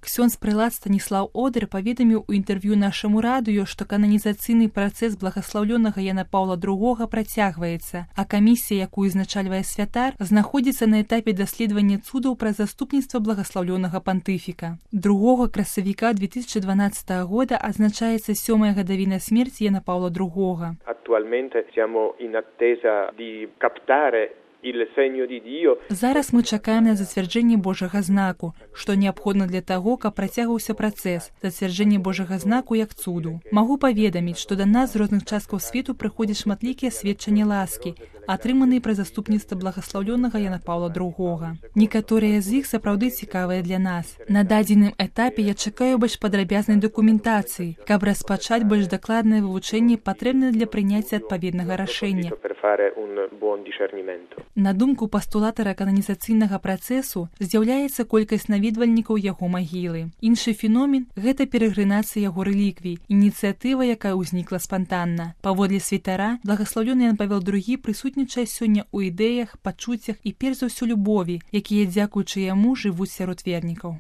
Ксёндз-прэлат Станіслаў Одыр паведаміў у інтэрв'ю нашаму радыё, што кананізацыйны працэс благаслаўлёнага Яна Паўла II працягваецца, а камісія, якую узначальвае святар, знаходзіцца на этапе даследавання цудаў пра заступніцтва благаслаўлёнага пантыфіка. 2 красавіка 2012 года азначаецца 7-я гадавіна смерці Яна Паўла II. Attualmente siamo in attesa di captare il segno di Dio. Зараз мы чакаем на зацвярджэнне Божага знаку, што неабходна для таго, каб працягваўся працэс, зацвярджэнне Божага знаку як цуду. Магу паведаміць, што да нас з розных часткаў свету прыходзяць шматлікія сведчанні ласкі, атрыманыя пры заступніцтва благаслаўлёнага Яна Паўла II. Некаторыя з іх сапраўды цікавыя для нас. На дадзеным этапе я чакаю больш падрабязнай дакументацыі, каб распачаць больш дакладнае вывучэнне, патрэбнае для прыняцця адпаведнага рашэння. На думку пастулатара кананізацыйнага працэсу, з'яўляецца колькасць наведвальнікаў яго магілы. Іншы феномен – гэта перагрынацыя яго рэліквій, ініцыятыва, якая ўзнікла спантанна. Паводле святара, благаслаўлёны Ян Павел II прысутнічае сёння ў ідэях, пачуццях і перш за ўсё любові, якія, дзякуючы яму, жывуць сярод вернікаў.